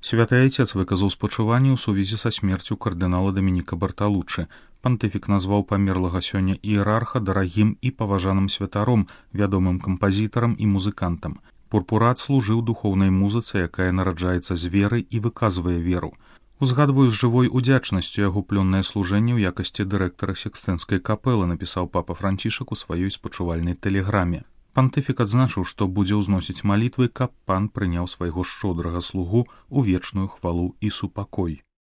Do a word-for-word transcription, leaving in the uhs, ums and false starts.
Святы Айцец выказаў спачуванні ў сувязі са смерцю кардынала Дамініка Барталуччы. Пантыфік назваў памерлага сёння іерарха дарагім і паважаным святаром, вядомым кампазітарам і музыкантам. Пурпурат служыў духоўнай музыцы, якая нараджаецца з веры і выказвае веру. Узгадваю з жывой удзячнасцю яго плённае служэнне ў якасці дырэктара Сікстэнскай капэлы, напісаў папа Францішак у сваёй спачувальнай тэлеграме. Пантыфік адзначыў, што будзе ўзносіць малітвы, каб пан прыняў свайго шчодрага слугу ў вечную хвалу і супакой.